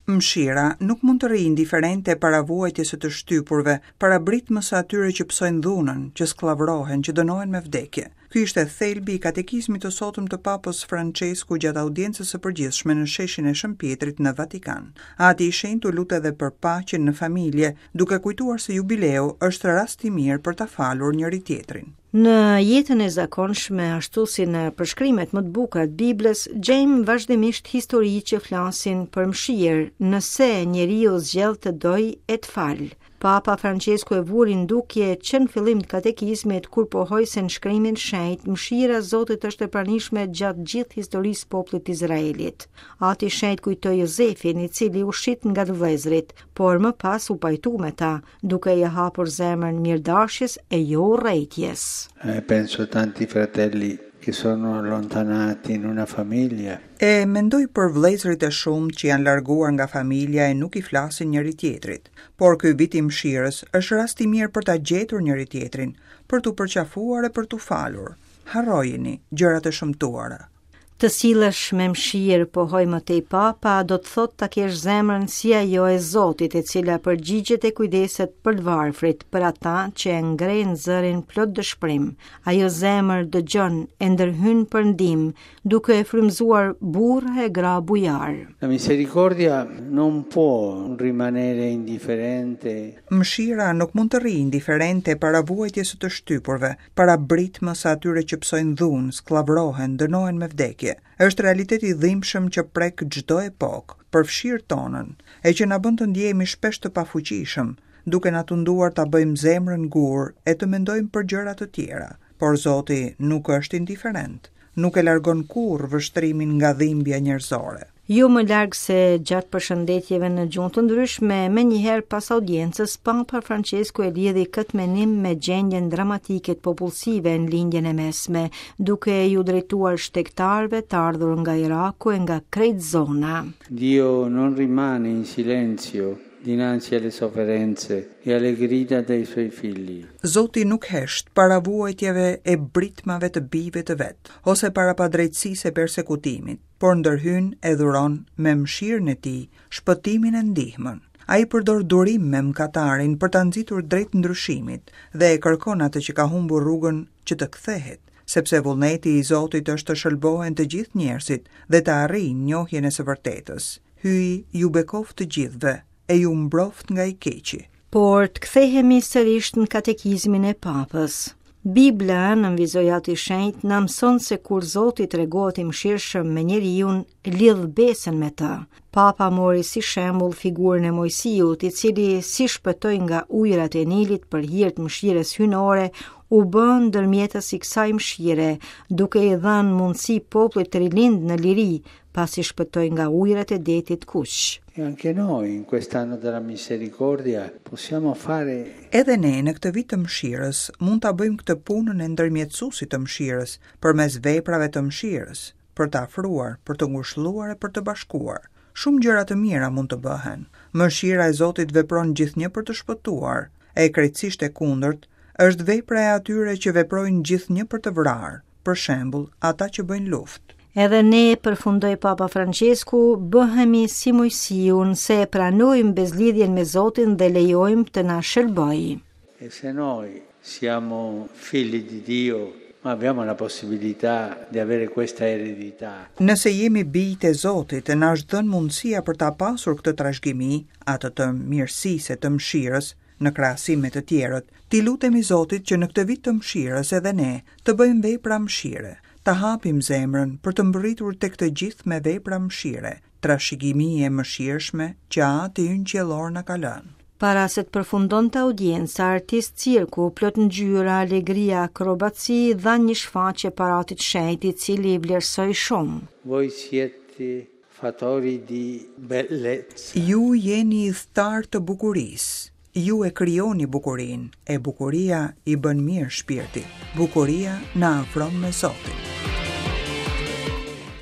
Mëshira nuk mund të rrijë indiferente para vuajtjes së të shtypurve, para britmës së atyre që pësojnë dhunën, që skllavërohen, që dënohen me vdekje. Ky ishte thelbi i katekizmit të sotëm të Papës Françesku gjatë audiencës së përgjithshme në sheshin e Shën Pjetrit në Vatikan. Ati i Shenjtë u lut edhe për paqen në familje, duke kujtuar se jubileu është rast i mirë për ta falur njëri-tjetrin. Në jetën e zakonshme, ashtu si në përshkrimet më të bukura të Biblës, gjejmë vazhdimisht histori që flasin për mëshirë, nëse njeriu zgjedh të dojë e të falë. Papa Françesku e vuri në dukje që në fillim të katekizmit kur pohoi se në shkrimin e shenjtë mëshira e Zotit është e pranishme gjatë gjithë historisë së popullit të Izraelit. Ati i Shenjtë kujtoi Jozefin, i cili u shit nga të vëllezërit, por më pas u pajtu me ta, duke ia hapur zemrën mirëdashjes e jo urrejtjes. E penso a tanti fratelli che sono allontanati in una famiglia. E mendoj për vëllezërit e shumtë që janë larguar nga familja e nuk i flasin njëri-tjetrit. Por ky vit i mëshirës është rast i mirë për ta gjetur njëri-tjetrin, për t'u përqafuar e për t'u falur. Harrojini gjërat e shëmtuara. Të sillesh me mëshirë, pohoi më tej Papa, do të thotë ta kesh zemrën si ajo e Zotit, e cila përgjigjet e kujdeset për të varfrit, për ata që e ngrenë zërin plot dëshpërim. Ajo zemër dëgjon e ndërhyn për ndihmë, duke e frymëzuar burra e gra bujarë. La misericordia non può rimanere indifferente. Mëshira nuk mund të rrijë indiferente para vuajtjes së të shtypurve, para britmës së atyre që pësojnë dhunë, skllavërohen, dënohen me vdekje. Është realitet i dhimbshëm që prek çdo epokë, përfshirë tonën, e që na bën të ndjehemi shpesh të pafuqishëm, duke na tunduar ta bëjmë zemrën gur e të mendojmë për gjëra të tjera. Por Zoti nuk është indiferent, nuk e largon kurrë vështrimin nga dhimbja njerëzore. Jo më larg se gjatë përshëndetjeve në gjuhë të ndryshme, menjëherë pas audiencës, Papa Françesku e lidhi këtë menim me gjendjen dramatike të popullsive në Lindjen e Mesme, duke iu drejtuar shtegtarëve të ardhur nga Iraku e nga krejt zona. Dio non rimane in silenzio dinanzi alle sofferenze e alle grida dei suoi figli. Zoti nuk hesht para vuajtjeve e britmave të bijve të vet, ose para padrejtësisë e persekutimit. por ndërhyn e dhuron me mëshirën e tij shpëtimin e ndihmën. Ai përdor durim me mëkatarin për ta nxitur drejt ndryshimit dhe e kërkon atë që ka humbur rrugën që të kthehet, sepse vullneti i Zotit është të shëlbohen të gjithë njerëzit dhe të arrijnë njohjen e së vërtetës. Hyji ju bekoftë të gjithëve e ju mbroftë nga i keqi. Por të kthehemi sërish në katekizmin e Papës. Bibla, nënvizoi Ati i Shenjtë, na mëson se kur Zoti tregohet i mëshirshëm me njeriun, lidh besën me të. Papa mori si shembull figurën e Moisiut, i cili si shpëtoi nga ujërat e Nilit për hir të mëshirës hyjnore, u bë ndërmjetës i kësaj mëshire, duke i dhënë mundësi popullit të rilindë në liri, pasi shpëtoi nga ujërat e Detit të Kuq. E anche noi in quest'anno della misericordia possiamo fare Edhe ne në këtë vit të mëshirës mund ta bëjmë këtë punën e ndërmjetësuesit të mëshirës përmes veprave të mëshirës, për të afruar, për të ngushëlluar e për të bashkuar. Shumë gjëra të mira mund të bëhen. Mëshira e Zotit vepron gjithnjë për të shpëtuar, e krejtësisht e kundërt është vepra e atyre që veprojnë gjithnjë për të vrarë. për shembull, ata që bëjnë luftë. Edhe ne, përfundoi Papa Françesku, bëhemi si Moisiu nëse e pranojmë besëlidhjen me Zotin dhe lejojmë të na shëlbojë. E se noi siamo figli di Dio, ma abbiamo la possibilità di avere questa eredità. Nëse jemi bijtë e Zotit, na është dhënë mundësia për ta pasur këtë trashëgimi, atë të mirësisë e të mëshirës, në krahasim me të tjerët, t'i lutemi Zotit që në këtë vit të mëshirës edhe ne të bëjmë vepra mëshire, ta hapim zemrën për të mbërritur tek të gjithë me vepra mëshire, trashëgimi e mëshirshme që Ati ynë Qiellor na ka lënë. Para se të përfundonte audienca, artistë cirku, plot ngjyra, alegri e akrobaci, dhanë një shfaqje para Atit të Shenjtë, i cili i vlerësoi shumë. Voi siete Fattori di bellezza. Ju jeni ithtarë të bukurisë. Ju e krijoni bukurinë, e bukuria i bën mirë shpirtit. Bukuria na afron me Zotin.